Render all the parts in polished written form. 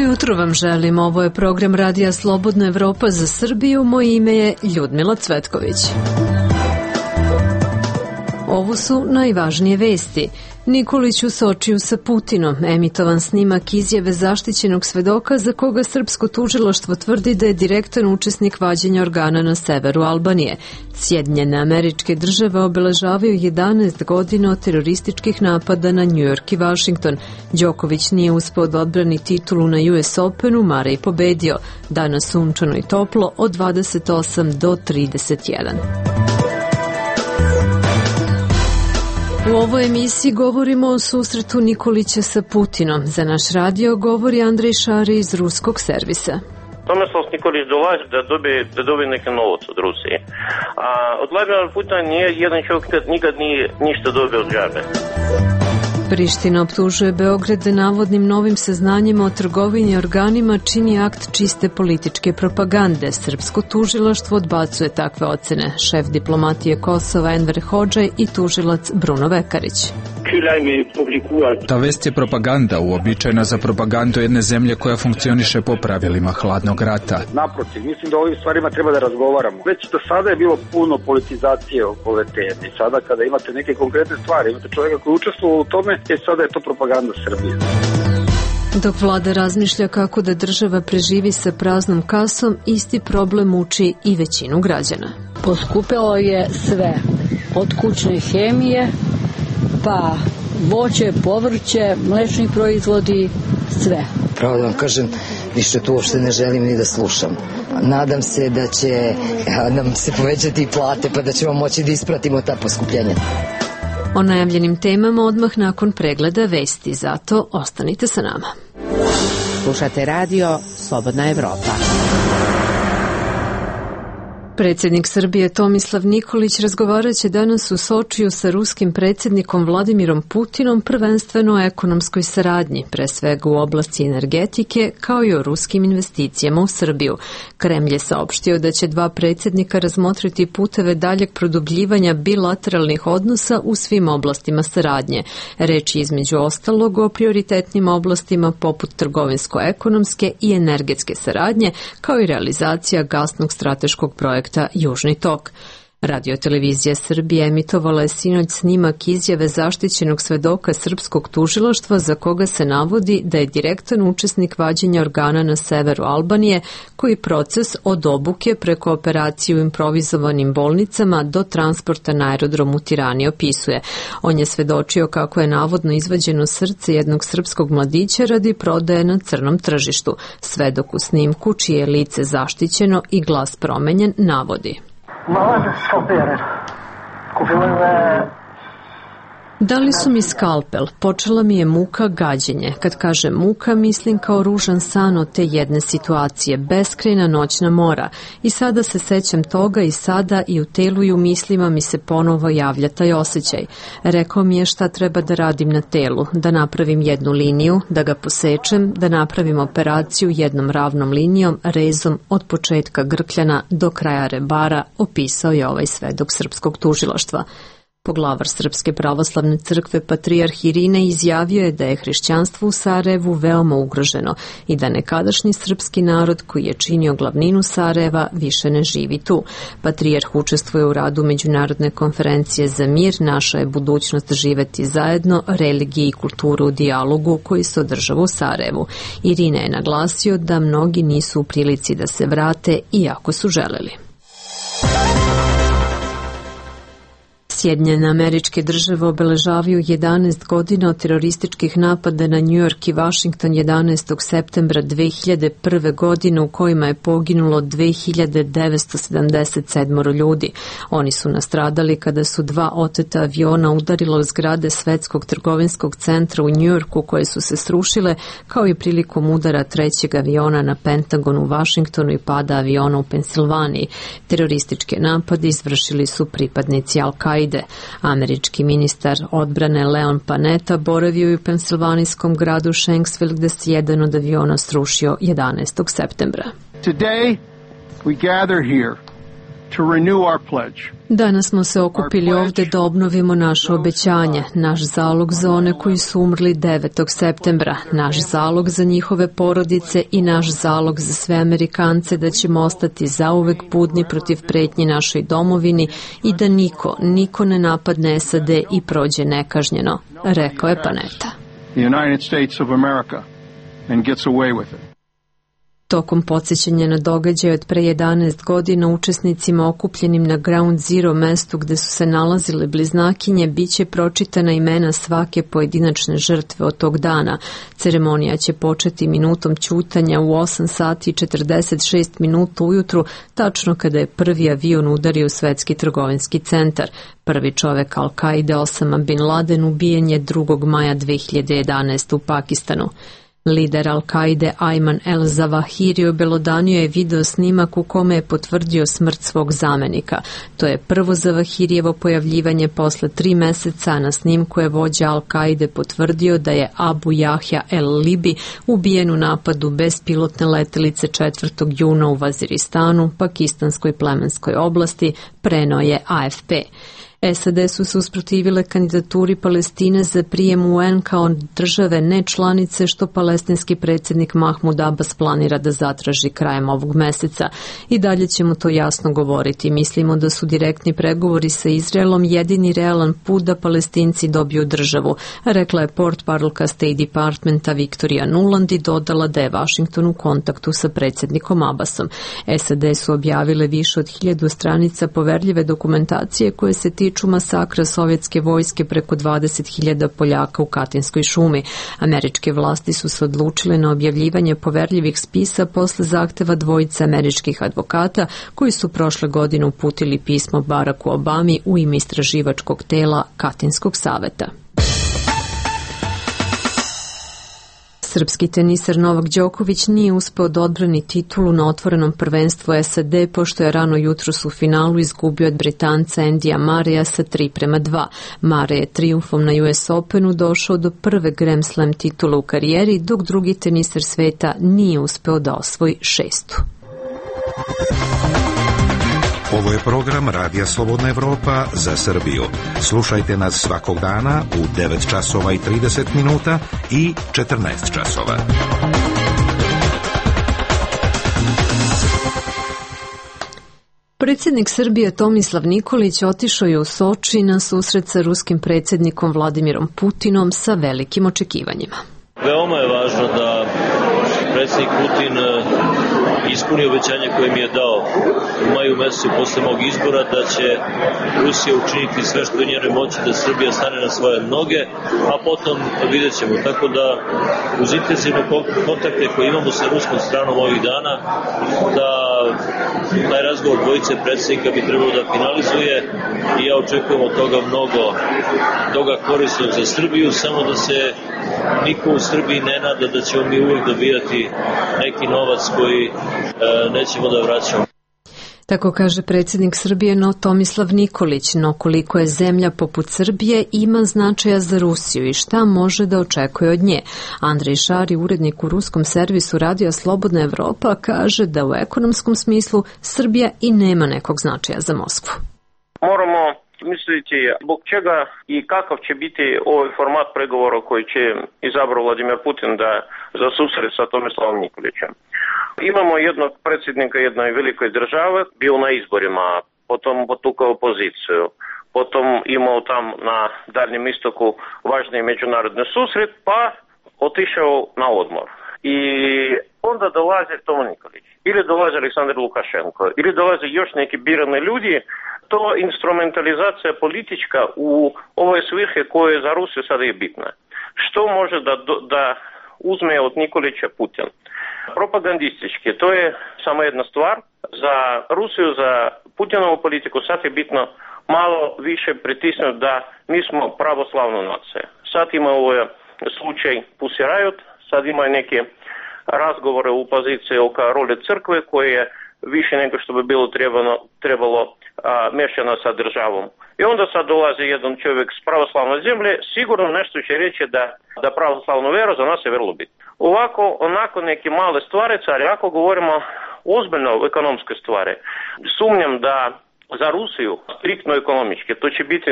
jutro vam želim, ovo je program Radija Slobodna Evropa za Srbiju, moje ime je Ljudmila Cvetković. Ovo su najvažnije vesti. Nikolić u Sočiju sa Putinom, emitovan snimak izjave zaštićenog svedoka za koga srpsko tužilaštvo tvrdi da je direktan učesnik vađenja organa na severu Albanije. Sjedinjene Američke Države obeležavaju 11 godina od terorističkih napada na New York i Washington. Đoković nije uspeo da odbrani titulu na US Openu, Mare je pobedio. Danas sunčano i toplo od 28 do 31. U ovoj emisiji govorimo o susretu Nikolića sa Putinom. Za naš radio govori Andrej Šari iz ruskog servisa. Tomislav Nikolić dolazi da dobije neki novac od Rusije. A od Vladimira Putina nije jedan čovjek nikad nije ništa dobio od džabe. Priština optužuje Beograd da navodnim novim saznanjima o trgovini organima čini akt čiste političke propagande. Srpsko tužilaštvo odbacuje takve ocene. Šef diplomatije Kosova Enver Hodžaj i tužilac Bruno Vekarić. Ta vest je propaganda, uobičajena za propagandu jedne zemlje koja funkcioniše po pravilima hladnog rata. Naprotiv, mislim da o ovim stvarima treba da razgovaramo. Već do sada je bilo puno politizacije ove teme. Sada kada imate neke konkretne stvari, imate čovjeka koji učestvovao u tome, sada je to propaganda Srbije. Dok vlada razmišlja kako da država preživi sa praznom kasom, isti problem muči i većinu građana. Poskupelo je sve, od kućne hemije, pa voće, povrće, mlečni proizvodi, sve. Pravo da vam kažem, više tu uopšte ne želim ni da slušam. Nadam se da će nam se povećati plate, pa da ćemo moći da ispratimo ta poskupljenja. O najavljenim temama odmah nakon pregleda vesti, zato ostanite sa nama. Slušate radio Slobodna Evropa. Predsjednik Srbije Tomislav Nikolić razgovarat će danas u Sočiju sa ruskim predsjednikom Vladimirom Putinom prvenstveno o ekonomskoj saradnji, pre svega u oblasti energetike, kao i o ruskim investicijama u Srbiju. Kremlj je saopštio da će dva predsjednika razmotriti puteve daljeg produbljivanja bilateralnih odnosa u svim oblastima saradnje. Reč je između ostalog o prioritetnim oblastima poput trgovinsko-ekonomske i energetske saradnje, kao i realizacija gasnog strateškog projekta Južni tok. Radiotelevizija Srbije emitovala je sinoć snimak izjave zaštićenog svedoka srpskog tužilaštva za koga se navodi da je direktan učesnik vađenja organa na severu Albanije, koji proces od obuke preko operacije u improvizovanim bolnicama do transporta na aerodrom u Tirani opisuje. On je svedočio kako je navodno izvađeno srce jednog srpskog mladića radi prodaje na crnom tržištu. Svedok u snimku, čije je lice zaštićeno i glas promenjen, navodi: Dali su mi skalpel, počela mi je muka, gađenje. Kad kažem muka, mislim kao ružan san od te jedne situacije, beskrajna noćna mora. I sada se sećam toga i sada i u telu i u mislima mi se ponovo javlja taj osjećaj. Rekao mi je šta treba da radim na telu, da napravim jednu liniju, da ga posečem, da napravim operaciju jednom ravnom linijom, rezom od početka grkljana do kraja rebara, opisao je ovaj svedok srpskog tužilaštva. Poglavar Srpske pravoslavne crkve patrijarh Irine izjavio je da je hrišćanstvo u Sarajevu veoma ugroženo i da nekadašnji srpski narod koji je činio glavninu Sarajeva više ne živi tu. Patrijarh učestvuje u radu Međunarodne konferencije za mir, Naša je budućnost živeti zajedno, religiji i kulturu u dijalogu koji se održava u Sarajevu. Irina je naglasio da mnogi nisu u prilici da se vrate iako su želeli. Sjedinjene Američke Države obeležavaju 11 godina od terorističkih napada na New York i Washington 11. septembra 2001. godine u kojima je poginulo 2977 ljudi. Oni su nastradali kada su dva oteta aviona udarila u zgrade Svetskog trgovinskog centra u New Yorku koje su se srušile, kao i prilikom udara trećeg aviona na Pentagon u Washingtonu i pada aviona u Pensilvaniji. Terorističke napade izvršili su pripadnici Al-Kaide. Američki ministar odbrane Leon Panetta boravio je u pensilvanijskom gradu Shanksville gde se jedan od aviona srušio 11. septembra. Today we gather here Danas smo se okupili ovde da obnovimo naše obećanje, naš zalog za one koji su umrli 9. septembra, naš zalog za njihove porodice i naš zalog za sve Amerikance da ćemo ostati zauvek budni protiv pretnji našoj domovini i da niko ne napadne SAD i prođe nekažnjeno, rekao je Panetta. Tokom podsjećanja na događaj od pre 11 godina učesnicima okupljenim na Ground Zero, mestu gde su se nalazile bliznakinje, biće pročitana imena svake pojedinačne žrtve od tog dana. Ceremonija će početi minutom ćutanja u 8 sati i 46 minuta ujutru, tačno kada je prvi avion udario u svetski trgovinski centar. Prvi čovek Al-Kaide, Osama Bin Laden, ubijen je 2. maja 2011. u Pakistanu. Lider Al-Kaide Ayman el-Zawahiri obelodanio je video snimak u kome je potvrdio smrt svog zamenika. To je prvo Zawahirijevo pojavljivanje posle 3 meseca. Na snimku je vođa Al-Kaide potvrdio da je Abu Yahya el-Libi ubijen u napadu bespilotne letelice 4. juna u Vaziristanu, pakistanskoj plemenskoj oblasti, preneo je AFP. SAD su se usprotivile kandidaturi Palestine za prijem u UN kao države nečlanice, što palestinski predsjednik Mahmud Abbas planira da zatraži krajem ovog meseca. I dalje ćemo to jasno govoriti. Mislimo da su direktni pregovori sa Izraelom jedini realan put da Palestinci dobiju državu, rekla je portparolka State Departmenta Victoria Nuland i dodala da je Washington u kontaktu sa predsjednikom Abbasom. SAD su objavile više od 1000 stranica poverljive dokumentacije koje se tiču masakra sovjetske vojske preko 20.000 Poljaka u Katinskoj šumi. Američke vlasti su se odlučile na objavljivanje poverljivih spisa posle zahteva dvojice američkih advokata koji su prošle godine uputili pismo Baracku Obami u ime istraživačkog tela Katinskog saveta. Srpski teniser Novak Đoković nije uspeo da odbrani titulu na otvorenom prvenstvu SAD, pošto je rano jutros u finalu izgubio od Britanca Andyja Murraya sa 3:2. Murray je trijumfom na US Openu došao do prve Grand Slam titule u karijeri, dok drugi teniser sveta nije uspeo da osvoji 6. Ovo je program Radija Slobodna Evropa za Srbiju. Slušajte nas svakog dana u 9 časova i 30 minuta i 14 časova. Predsjednik Srbije Tomislav Nikolić otišao je u Soči na susret sa ruskim predsjednikom Vladimirom Putinom sa velikim očekivanjima. Veoma je važno da predsjednik Putin ispuni obećanje koje mi je dao u maju mesecu posle mog izbora, da će Rusija učiniti sve što je u njenoj moći da Srbija stane na svoje noge, a potom vidjet ćemo. Tako da uz intenzivne kontakte koje imamo sa ruskom stranom ovih dana, da taj razgovor dvojice predsjednika bi trebalo da finalizuje i ja očekujem od toga mnogo toga korisnog za Srbiju, samo da se niko u Srbiji ne nada da ćemo mi uvijek dobijati neki novac koji nećemo da vraćamo. Tako kaže predsjednik Srbije Tomislav Nikolić, no koliko je zemlja poput Srbije ima značaja za Rusiju i šta može da očekuje od nje. Andrej Šari, urednik u ruskom servisu Radija Slobodna Evropa, kaže da u ekonomskom smislu Srbija i nema nekog značaja za Moskvu. Moramo misliti zbog čega i kakav će biti ovaj format pregovora koji će izabrao Vladimir Putin za susret sa Tomislavom Nikolićem. Imamo jednog predsjednika jedne velike države, bio na izborima, potom potukao opoziciju, potom imao tam na Daljnjem istoku važni međunarodni susret, pa otišao na odmor. I onda dolazi Tom Nikolić, ili dolazi Aleksandar Lukašenko, ili dolaze još neki birani ljudi. To instrumentalizacija politička u ovoj svrhe koje za Rusiju sada je bitna. Što može da uzme od Nikolića Putin? Propagandistički, to je samo jedna stvar. Za Rusiju, za Putinovu politiku sad je bitno malo više pritisnuti da mi smo pravoslavna nacija. Sad ima ovaj slučaj Pussy Riot, sad ima neke razgovore u opoziciji oko role crkve koje je više nego što bi bilo trebalo mešano sa državom. I onda sad dolazi jedan čovjek s pravoslavne zemlje, sigurno nešto će reći da pravoslavnu vjeru za nas je vrlo bitno. Ovako, onako neke male stvari, ali ako govorimo ozbiljno ekonomske stvari. Sumnjam da za Rusiju, striktno ekonomički, to će biti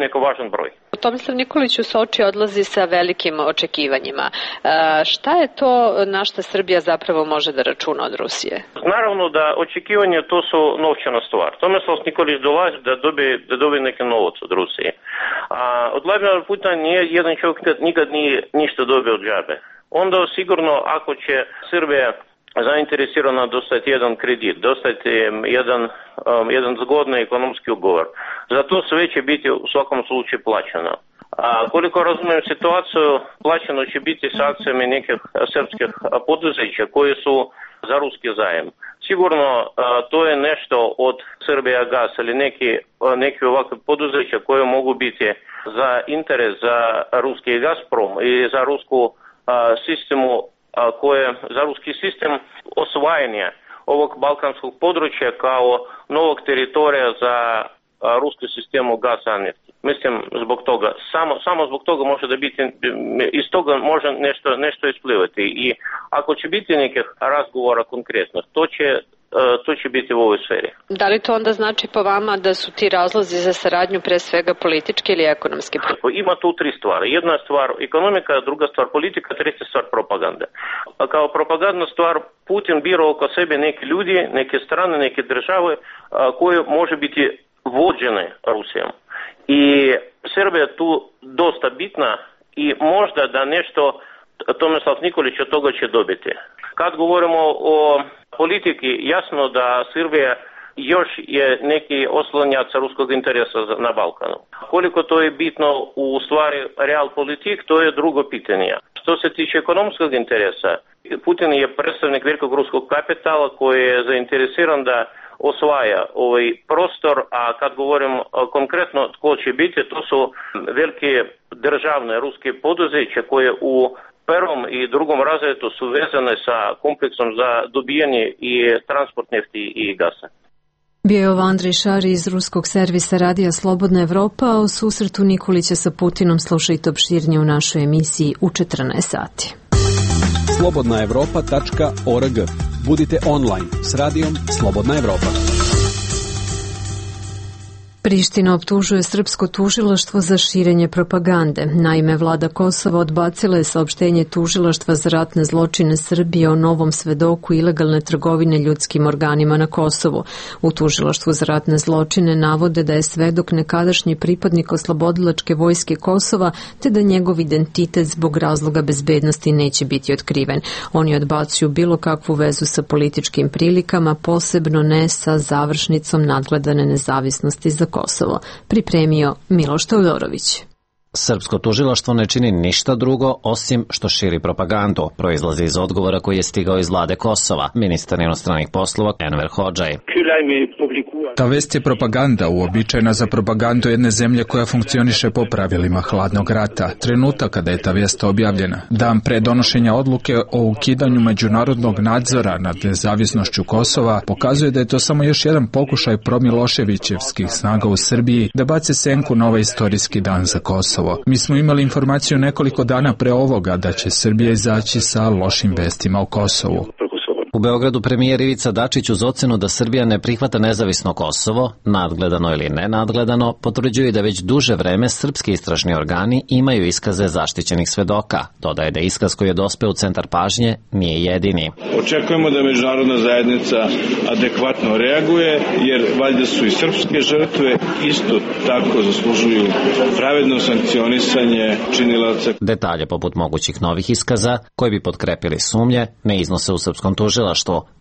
neko važan broj. Tomislav Nikolić u Soči odlazi sa velikim očekivanjima. Šta je to na što Srbija zapravo može da računa od Rusije? Naravno da očekivanje to su novčana stvar. Tomislav Nikolić dolazi da dobije neki novac od Rusije. Od Vladimira Putina nije jedan čovjek nikad nije ništa dobio od džabe. Onda sigurno ako će Srbija zainteresirana dostati jedan kredit, dostati jedan zgodni ekonomski ugovor. Za to sve će biti u svakom slučaju plaćeno. Koliko razumijem situaciju, plaćeno će biti s akcijama nekih srpskih poduzeća koji su za ruski zajem. Sigurno to je nešto od Srbija Gas ili neki ovakve poduzeća koje mogu biti za interes za ruski Gazprom i za rusku sistemu za ruski sistem osvajanja ovog balkanskog područja kao novog teritorija za ruski sistemu gasa i nefti. Mislim, zbog toga, samo zbog toga može da biti, iz toga može nešto isplivati i ako će biti nekih razgovora konkretno, to će biti u ovoj sferi. Da li to onda znači po vama da su ti razlozi za saradnju pre svega politički ili ekonomski? Ima tu tri stvari. Jedna stvar ekonomika, druga stvar politika, treća stvar propaganda. Kao propagandna stvar Putin bira oko sebe neki ljudi, neke strane, neke države koje može biti vođene Rusijom. I Srbija je tu dosta bitna i možda da nešto Tomislav Nikolić od toga će dobiti. Kad govorimo o politiki, jasno da Srbija još je neki oslonjac ruskog interesa na Balkanu. Koliko to je bitno u stvari real politik, to je drugo pitanje. Što se tiče ekonomskog interesa, Putin je predstavnik velikog ruskog kapitala koji je zainteresiran da osvaja ovaj prostor, a kad govorim konkretno tko će biti, to su velike državne ruske poduzeće koje u prvom i drugom razredu su vezane sa kompleksom za dobijanje i transport nefti i gasa. Bio je ovo Andrej Šari iz ruskog servisa Radija Slobodna Evropa, a o susretu Nikolića sa Putinom slušajte opširnije u našoj emisiji u 14 sati. slobodnaevropa.org. Budite online s radijom Slobodna Evropa. Priština optužuje srpsko tužilaštvo za širenje propagande. Naime, vlada Kosova odbacila je saopštenje tužilaštva za ratne zločine Srbije o novom svedoku ilegalne trgovine ljudskim organima na Kosovu. U tužilaštvu za ratne zločine navode da je svedok nekadašnji pripadnik oslobodilačke vojske Kosova, te da njegov identitet zbog razloga bezbednosti neće biti otkriven. Oni odbacuju bilo kakvu vezu sa političkim prilikama, posebno ne sa završnicom nadgledane nezavisnosti za Kosovo. Pripremio Miloš Teodorović. Srpsko tužilaštvo ne čini ništa drugo osim što širi propagandu, proizlazi iz odgovora koji je stigao iz vlade Kosova, ministar inostranih poslova Enver Hodžaj. Ta vest je propaganda, uobičajena za propagandu jedne zemlje koja funkcioniše po pravilima hladnog rata. Trenutak kada je ta vest objavljena, dan pre donošenja odluke o ukidanju međunarodnog nadzora nad nezavisnošću Kosova, pokazuje da je to samo još jedan pokušaj promiloševićevskih snaga u Srbiji da bace senku na ovaj istorijski dan za Kosovo. Mi smo imali informaciju nekoliko dana pre ovoga da će Srbija izaći sa lošim vestima o Kosovu. U Beogradu premijer Ivica Dačić uz ocenu da Srbija ne prihvata nezavisno Kosovo, nadgledano ili nenadgledano, potvrđuje da već duže vreme srpski istražni organi imaju iskaze zaštićenih svedoka. Dodaje da iskaz koji je dospeo u centar pažnje nije jedini. Očekujemo da međunarodna zajednica adekvatno reaguje, jer valjda su i srpske žrtve isto tako zaslužuju pravedno sankcionisanje činilaca. Detalje poput mogućih novih iskaza, koji bi potkrepili sumnje, ne iznose u srpskom tužilaštvu.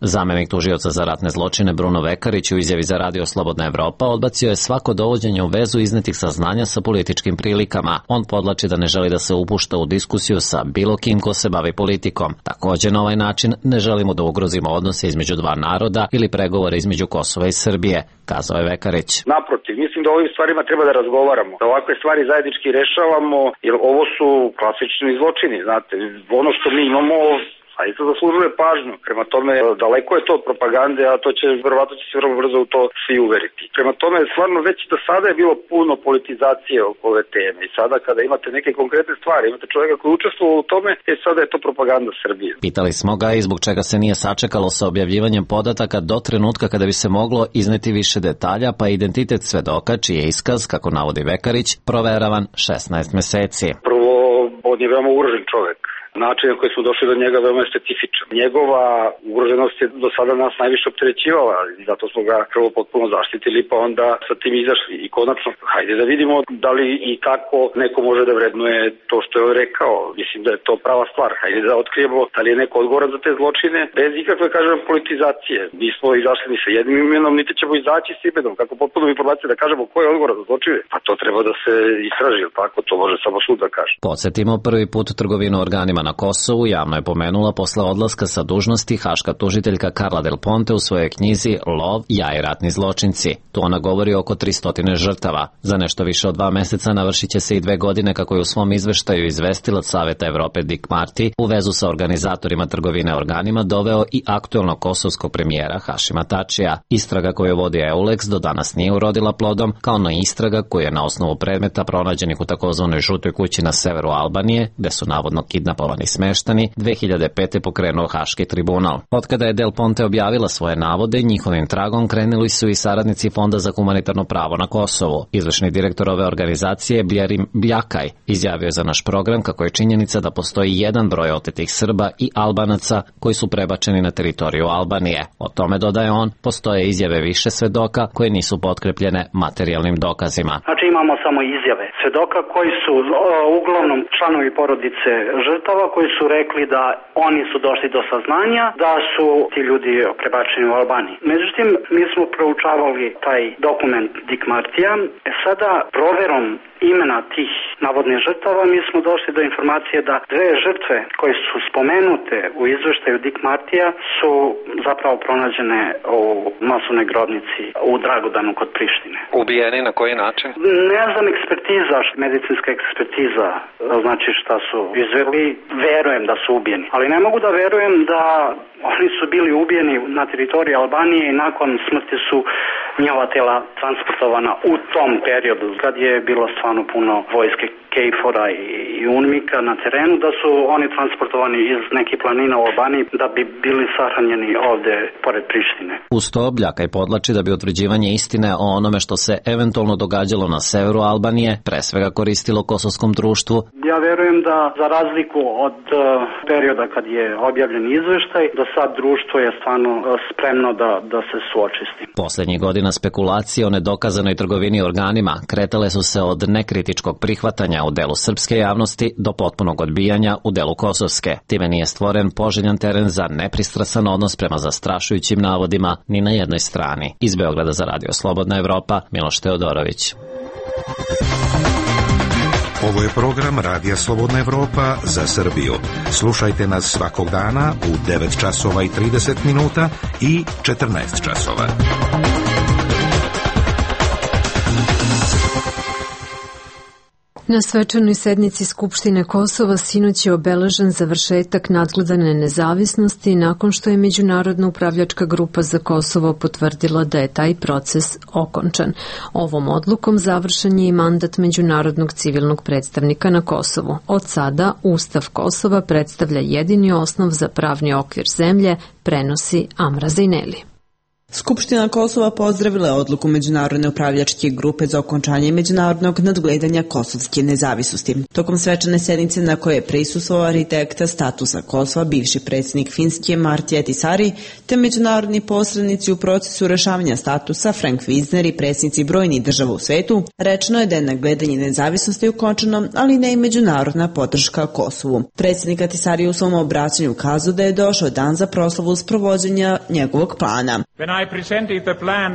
Zamenik tužioca za ratne zločine Bruno Vekarić u izjavi za Radio Slobodna Evropa odbacio je svako dovođenje u vezu iznetih saznanja sa političkim prilikama. On podlači da ne želi da se upušta u diskusiju sa bilo kim ko se bavi politikom. Također na ovaj način ne želimo da ugrozimo odnose između dva naroda ili pregovore između Kosova i Srbije, kazao je Vekarić. Naprotiv, mislim da o ovim stvarima treba da razgovaramo, da ovakve stvari zajednički rešavamo, jer ovo su klasični zločini, znate. Ono što mi imamo a isto zaslužuje pažnju. Prema tome, daleko je to od propagande, a to će, verovatno će se vrlo brzo u to svi uveriti. Prema tome, stvarno već do sada je bilo puno politizacije oko ove teme i sada kada imate neke konkretne stvari, imate čovjeka koji učestvuje u tome, sada je to propaganda Srbije. Pitali smo ga i zbog čega se nije sačekalo sa objavljivanjem podataka do trenutka kada bi se moglo izneti više detalja, pa identitet svedoka, čiji je iskaz, kako navodi Vekarić, proveravan 16 meseci. Prvo, on je veoma ugrožen čovjek. Način na koji smo došli do njega veoma je specifičan. Njegova ugroženost je do sada nas najviše opterećivala i zato smo ga prvo potpuno zaštitili, pa onda sa tim izašli. I konačno, hajde da vidimo da li i kako neko može da vrednuje to što je on rekao. Mislim da je to prava stvar. Hajde da otkrijemo da li je neko odgovoran za te zločine bez ikakve, kažem, politizacije. Nismo izašli ni sa jednim imenom, niti ćemo izaći s imenom. Kako potpuno informacije da kažemo ko je odgovoran za zločine? Pa to treba da se istraži, tako? To može samo sud da kaže. Podsjetimo, prvi put trgovinu organima na Kosovu javno je pomenula posle odlaska sa dužnosti haška tužiteljka Carla Del Ponte u svojoj knjizi Lov, ja i ratni zločinci. Tu ona govori oko 300 žrtava. Za nešto više od 2 meseca navršit će se i 2 godine kako je u svom izveštaju izvestilac Saveta Evrope Dick Marty u vezu sa organizatorima trgovine organima doveo i aktuelnog kosovskog premijera Hašima Tačija. Istraga koju vodi EULEX do danas nije urodila plodom, kao na istraga koja je na osnovu predmeta pronađenih u takozvanoj žutoj kući na severu Albanije, gde su navodno kidnapovani smeštani, 2005. pokrenuo Haški tribunal. Otkada je Del Ponte objavila svoje navode, njihovim tragom krenuli su i saradnici Fonda za humanitarno pravo na Kosovu. Izvršni direktor ove organizacije Bjerim Bljakaj izjavio je za naš program kako je činjenica da postoji jedan broj otetih Srba i Albanaca koji su prebačeni na teritoriju Albanije. O tome, dodaje on, postoje izjave više svedoka koje nisu potkrepljene materijalnim dokazima. Znači imamo samo izjave svedoka koji su uglavnom članovi porodice žrtava koji su rekli da oni su došli do saznanja da su ti ljudi prebačeni u Albaniji. Međutim, mi smo proučavali taj dokument Dick Martija. Sada proverom imena tih navodnih žrtava mi smo došli do informacije da 2 žrtve koje su spomenute u izveštaju Dick Martija su zapravo pronađene u masovnoj grobnici u Dragudanu kod Prištine. Ubijeni na koji način? Ne znam, ekspertiza, medicinska ekspertiza, znači šta su izveli, verujem da su ubijeni. Ali ne mogu da verujem da oni su bili ubijeni na teritoriji Albanije i nakon smrti su njihova tela transportovana u tom periodu kad je bilo stvarno puno vojske KFOR-a i UNMIK-a na terenu, da su oni transportovani iz nekih planina u Albaniji da bi bili sahranjeni ovde pored Prištine. Uz to Bljakaj podlači da bi utvrđivanje istine o onome što se eventualno događalo na severu Albanije pre svega koristilo kosovskom društvu. Ja verujem da za razliku od perioda kad je objavljen izveštaj, do sad društvo je stvarno spremno da se suoči s tim. Poslednjih godina spekulacije o nedokazanoj trgovini organima kretale su se od nekritičkog prihvatanja u delu srpske javnosti do potpunog odbijanja u delu kosovske. Time nije stvoren poželjan teren za nepristrasan odnos prema zastrašujućim navodima ni na jednoj strani. Iz Beograda za Radio Slobodna Evropa, Miloš Teodorović. Ovo je program Radija Slobodna Evropa za Srbiju. Slušajte nas svakog dana u 9 časova i 30 minuta i 14 časova. Na svečanoj sednici Skupštine Kosova sinoć je obeležen završetak nadgledane nezavisnosti nakon što je Međunarodna upravljačka grupa za Kosovo potvrdila da je taj proces okončan. Ovom odlukom završen je i mandat Međunarodnog civilnog predstavnika na Kosovu. Od sada Ustav Kosova predstavlja jedini osnov za pravni okvir zemlje, prenosi Amra Zejneli. Skupština Kosova pozdravila je odluku Međunarodne upravljačke grupe za okončanje međunarodnog nadgledanja kosovske nezavisnosti. Tokom svečane sednice na kojoj je prisustvovao arhitekta statusa Kosova, bivši predsjednik Finske Marti Ahtisaari, te međunarodni posrednici u procesu rešavanja statusa Frank Wisner i predsjednici brojnih država u svetu, rečeno je da je nadgledanje nezavisnosti ukončano, ali ne i međunarodna podrška Kosovu. Predsjednik Ahtisaari u svom obraćanju ukazao da je došao dan za proslavu sprovođenja njegovog plana. I presented the plan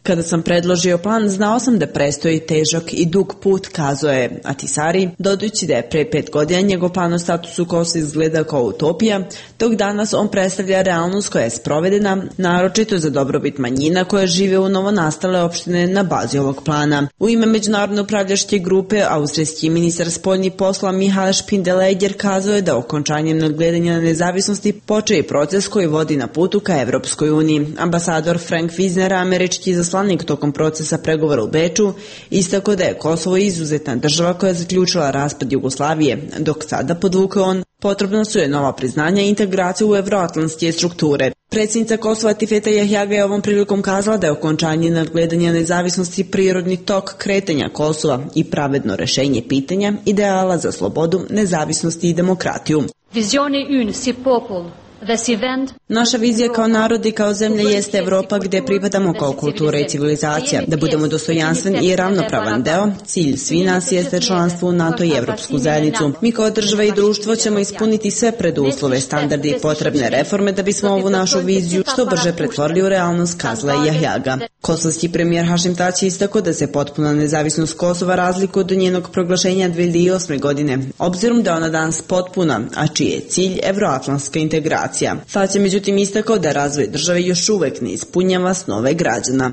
Kada sam predložio plan, znao sam da prestoji težak i dug put, kazao je Ahtisaari, dodajući da je pre 5 godina njegov plan o statusu Kosova izgleda kao utopija, dok danas on predstavlja realnost koja je sprovedena, naročito za dobrobit manjina koje žive u novonastale opštine na bazi ovog plana. U ime međunarodne upravljačke grupe, austrijski ministar spoljnih posla Mihael Spindeleger kazao je da okončanjem nadgledanja nezavisnosti počeo i proces koji vodi na putu ka Evropskoj uniji. Ambasador Frank Wisner, američki izaslanik tokom procesa pregovora u Beču, istakao da je Kosovo izuzetna država koja je zaključila raspad Jugoslavije, dok sada, podvukao on, potrebna su je nova priznanja i integracija u evroatlantske strukture. Predsjednica Kosova Tifeta Jahjaga je ovom prilikom kazala da je okončanje nadgledanja nezavisnosti prirodni tok kretanja Kosova i pravedno rešenje pitanja ideala za slobodu, nezavisnosti i demokratiju. Naša vizija kao narod i kao zemlja jeste Evropa gde pripadamo kao kultura i civilizacija, da budemo dostojanstven i ravnopravan deo. Cilj svi nas jeste članstvo u NATO i Evropsku zajednicu. Mi kao država i društvo ćemo ispuniti sve preduslove, standarde i potrebne reforme da bismo ovu našu viziju što brže pretvorili u realnost, kazala je Jahjaga. Kosovski premijer Hašim Tači istakao da se potpuna nezavisnost Kosova razlikuje od njenog proglašenja 2008. godine, obzirom da je ona danas potpuna, a čiji je cilj evroatlantska integracija. Sad je međutim istakao da razvoj države još uvek ne ispunjava snove građana.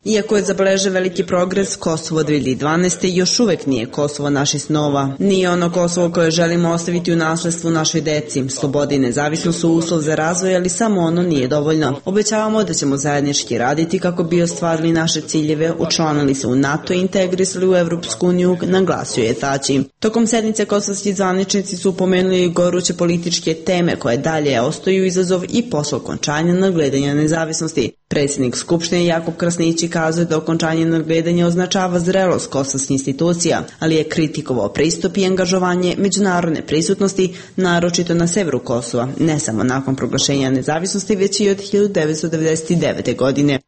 Iako je zabeležen veliki progres, Kosovo 2012. još uvek nije Kosovo naših snova. Nije ono Kosovo koje želimo ostaviti u nasledstvu našoj deci. Sloboda i nezavisnost su uslov za razvoj, ali samo ono nije dovoljno. Obećavamo da ćemo zajednički raditi kako bi ostvarili naše ciljeve, učlanili se u NATO i integrisali u Evropsku uniju, naglasio je Tači. Tokom sednice kosovski zvaničnici su pomenuli goruće političke teme koje dalje ostaju izazov i posle okončanja nadgledanja nezavisnosti. Predsjednik Skupštine Jakub Krasnići kazuje da okončanje nadgledanja označava zrelost kosovskih institucija, ali je kritikovao pristup i angažovanje međunarodne prisutnosti, naročito na severu Kosova, ne samo nakon proglašenja nezavisnosti, već i od 1999. godine.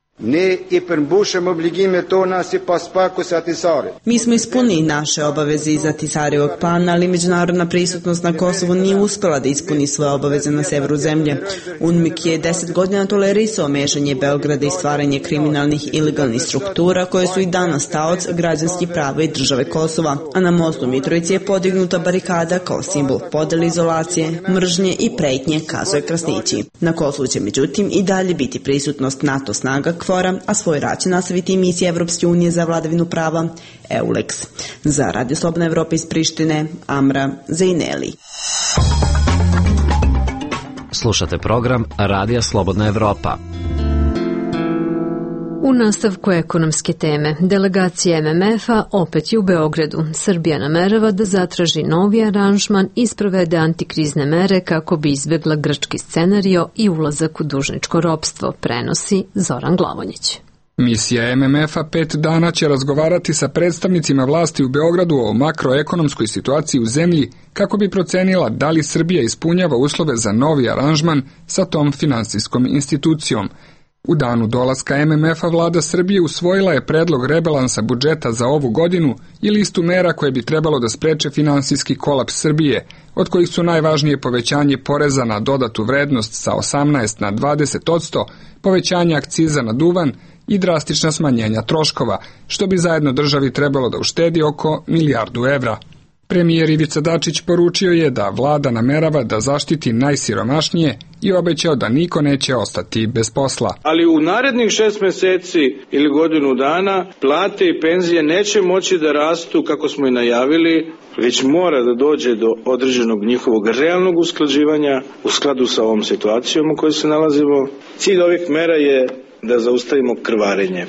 Mi smo ispunili naše obaveze iz Ahtisaarievog plana, ali međunarodna prisutnost na Kosovu nije uspela da ispuni svoje obaveze na severu zemlje. UNMIK je 10 godina tolerisao mešanje Beograda i stvaranje kriminalnih ilegalnih struktura koje su i danas taoc građanskih prava i države Kosova, a na mostu Mitrovici je podignuta barikada kao simbol podele, izolacije, mržnje i pretnje, kazuje Krasnići. Na Kosovu će međutim i dalje biti prisutnost NATO snaga KFOR-a, a svoj rad će nastaviti i misija Evropske unije za vladavinu prava EULEX. Za Radio Slobodna Evropa iz Prištine, Amra Zejneli. Slušate program Radija Slobodna Evropa. U nastavku ekonomske teme, delegacija MMF-a opet je u Beogradu. Srbija namerava da zatraži novi aranžman i sprovede antikrizne mere kako bi izbjegla grčki scenario i ulazak u dužničko ropstvo, prenosi Zoran Glavonjić. Misija MMF-a 5 dana će razgovarati sa predstavnicima vlasti u Beogradu o makroekonomskoj situaciji u zemlji kako bi procenila da li Srbija ispunjava uslove za novi aranžman sa tom finansijskom institucijom. U danu dolaska MMF-a vlada Srbije usvojila je predlog rebalansa budžeta za ovu godinu i listu mera koje bi trebalo da spreče finansijski kolaps Srbije, od kojih su najvažnije povećanje poreza na dodatu vrednost sa 18 na 20%, povećanje akciza na duvan i drastična smanjenja troškova, što bi zajedno državi trebalo da uštedi oko milijardu evra. Premijer Ivica Dačić poručio je da vlada namerava da zaštiti najsiromašnije i obećao da niko neće ostati bez posla. Ali u narednih 6 meseci ili godinu dana plate i penzije neće moći da rastu kako smo i najavili, već mora da dođe do određenog njihovog realnog usklađivanja u skladu sa ovom situacijom u kojoj se nalazimo. Cilj ovih mera je da zaustavimo krvarenje,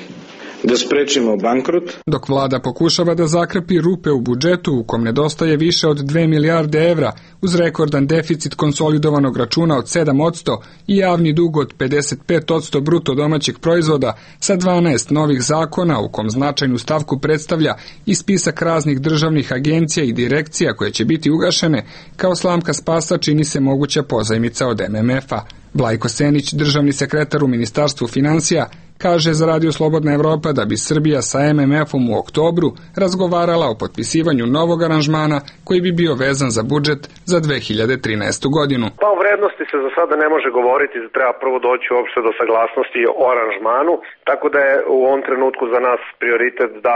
da sprečimo bankrot. Dok vlada pokušava da zakrpi rupe u budžetu u kom nedostaje više od 2 milijarde evra uz rekordan deficit konsolidovanog računa od 7% i javni dug od 55% bruto domaćeg proizvoda sa 12 novih zakona u kom značajnu stavku predstavlja i spisak raznih državnih agencija i direkcija koje će biti ugašene, kao slamka spasa čini se moguća pozajmica od MMF-a. Vlajko Senić, državni sekretar u Ministarstvu finansija, kaže za Radio Slobodna Evropa da bi Srbija sa MMF-om u oktobru razgovarala o potpisivanju novog aranžmana koji bi bio vezan za budžet za 2013. godinu. Pa o vrednosti se za sada ne može govoriti, treba prvo doći uopšte do saglasnosti o aranžmanu, tako da je u ovom trenutku za nas prioritet da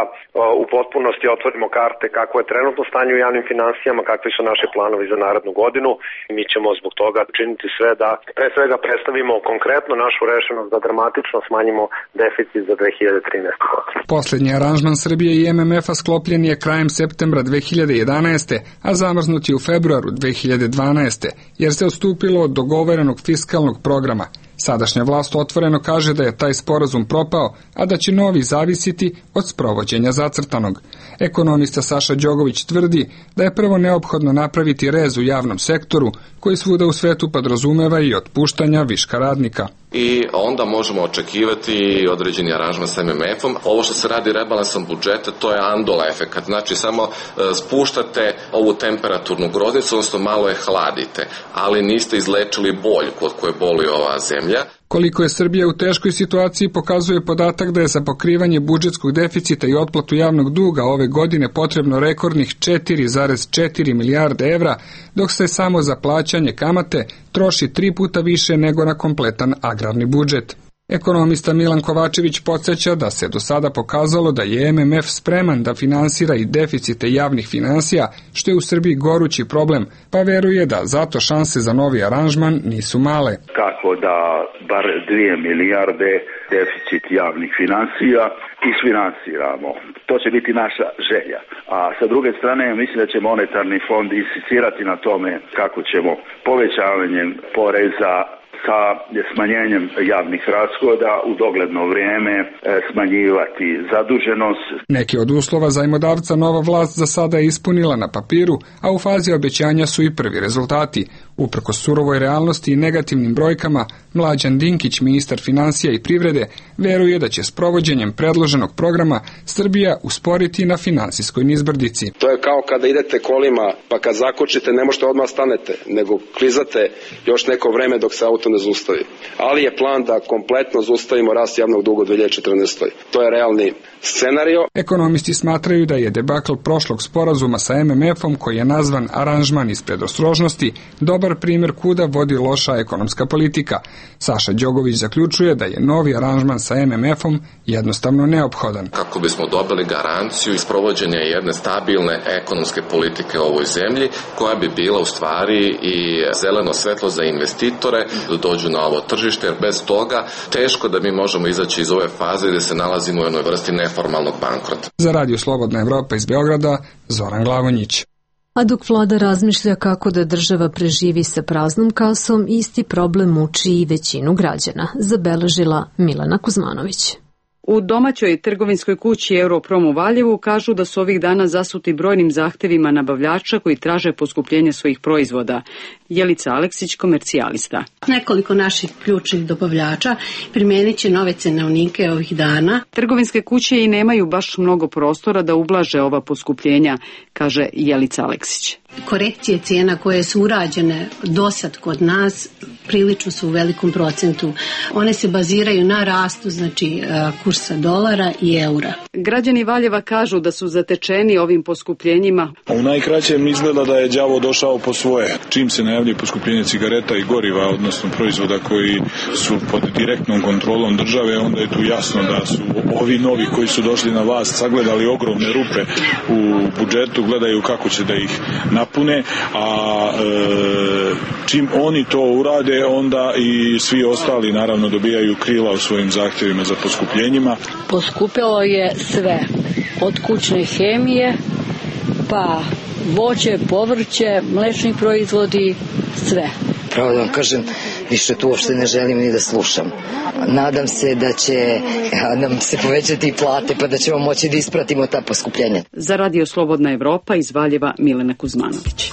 u potpunosti otvorimo karte kako je trenutno stanje u javnim finansijama, kakvi su naši planovi za narednu godinu i mi ćemo zbog toga činiti sve da pre svega predstavimo konkretno našu rešenost da dramatično smanjimo deficit za 2013. godinu. Poslednji aranžman Srbije i MMF-a sklopljen je krajem septembra 2011. a zamrznut je u februaru 2012. jer se odstupilo od dogovorenog fiskalnog programa. Sadašnja vlast otvoreno kaže da je taj sporazum propao, a da će novi zavisiti od sprovođenja zacrtanog. Ekonomista Saša Đogović tvrdi da je prvo neophodno napraviti rez u javnom sektoru, koji svuda u svetu podrazumeva i otpuštanja viška radnika. I onda možemo očekivati određeni aranžman sa MMF-om. Ovo što se radi rebalansom budžeta, to je andola efekat. Znači, samo spuštate ovu temperaturnu groznicu, odnosno malo je hladite, ali niste izlečili boljku od koje boli ova zemlja. Koliko je Srbija u teškoj situaciji pokazuje podatak da je za pokrivanje budžetskog deficita i otplatu javnog duga ove godine potrebno rekordnih 4,4 milijarde evra, dok se samo za plaćanje kamate troši 3 puta više nego na kompletan agrarni budžet. Ekonomista Milan Kovačević podsjeća da se do sada pokazalo da je MMF spreman da finansira i deficite javnih finansija, što je u Srbiji gorući problem, pa veruje da zato šanse za novi aranžman nisu male. Kako da bar 2 milijarde deficit javnih finansija isfinansiramo. To će biti naša želja. A sa druge strane, mislim da će monetarni fond insistirati na tome kako ćemo povećavanjem poreza sa smanjenjem javnih rashoda u dogledno vrijeme smanjivati zaduženost. Neki od uslova zajmodavca nova vlast za sada je ispunila na papiru, a u fazi obećanja su i prvi rezultati. Uprkos surovoj realnosti i negativnim brojkama, Mlađan Dinkić, ministar finansija i privrede, veruje da će s provođenjem predloženog programa Srbija usporiti na finansijskoj nizbrdici. To je kao kada idete kolima, pa kad zakočite ne možete odmah stanete, nego klizate još neko vreme dok se auto ne zaustavi. Ali je plan da kompletno zaustavimo rast javnog duga u 2014. To je realni scenario. Ekonomisti smatraju da je debakl prošlog sporazuma sa MMF-om, koji je nazvan aranžman iz predostrožnosti, dobar primjer kuda vodi loša ekonomska politika. Saša Đogović zaključuje da je novi aranžman sa MMF-om jednostavno neophodan. Kako bismo dobili garanciju isprovođenja jedne stabilne ekonomske politike u ovoj zemlji, koja bi bila u stvari i zeleno svetlo za investitore da dođu na ovo tržište, jer bez toga teško da mi možemo izaći iz ove faze gde se nalazimo u jednoj vrsti neformalnog bankrota. Za Radio Slobodna Evropa iz Beograda, Zoran Glavonjić. A dok vlada razmišlja kako da država preživi sa praznom kasom, isti problem muči i većinu građana, zabeležila Milena Kuzmanović. U domaćoj trgovinskoj kući Europrom u Valjevu kažu da su ovih dana zasuti brojnim zahtevima nabavljača koji traže poskupljenje svojih proizvoda. Jelica Aleksić, komercijalista. Nekoliko naših ključnih dobavljača primijenit će nove cenovnike ovih dana. Trgovinske kuće i nemaju baš mnogo prostora da ublaže ova poskupljenja, kaže Jelica Aleksić. Korekcije cijena koje su urađene dosad kod nas prilično su u velikom procentu. One se baziraju na rastu, znači kursa dolara i eura. Građani Valjeva kažu da su zatečeni ovim poskupljenjima. U najkraćem izgleda da je đavo došao po svoje. Čim se najavljuje poskupljenje cigareta i goriva, odnosno proizvoda koji su pod direktnom kontrolom države, onda je tu jasno da su ovi novi koji su došli na vlast sagledali ogromne rupe u budžetu, gledaju kako će da ih napune, a čim oni to urade, onda i svi ostali naravno dobijaju krila u svojim zahtjevima za poskupljenjima. Poskupilo je sve, od kućne hemije, pa voće, povrće, mlečni proizvodi, sve. Pravo da vam kažem, više tu uopšte ne želim ni da slušam. Nadam se da će nam se povećati i plate, pa da ćemo moći da ispratimo ta poskupljenja. Za Radio Slobodna Evropa iz Valjeva, Milena Kuzmanović.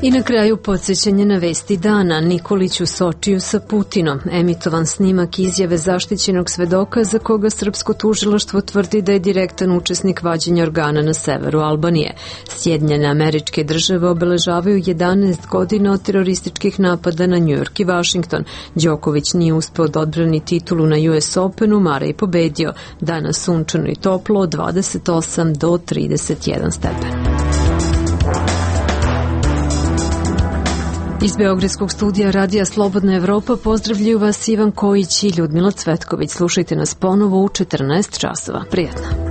I na kraju podsjećanje na vesti dana. Nikolić u Sočiju sa Putinom. Emitovan snimak izjave zaštićenog svedoka za koga srpsko tužilaštvo tvrdi da je direktan učesnik vađenja organa na severu Albanije. Sjedinjene Američke Države obeležavaju 11 godina od terorističkih napada na Njujork i Vašington. Đoković nije uspeo da odbrani titulu na US Openu, Mara i pobedio. Danas sunčano i toplo od 28 do 31 stepen. Iz Beogradskog studija Radija Slobodna Evropa pozdravljaju vas Ivan Kojić i Ljudmila Cvetković. Slušajte nas ponovo u 14 časova. Prijatno.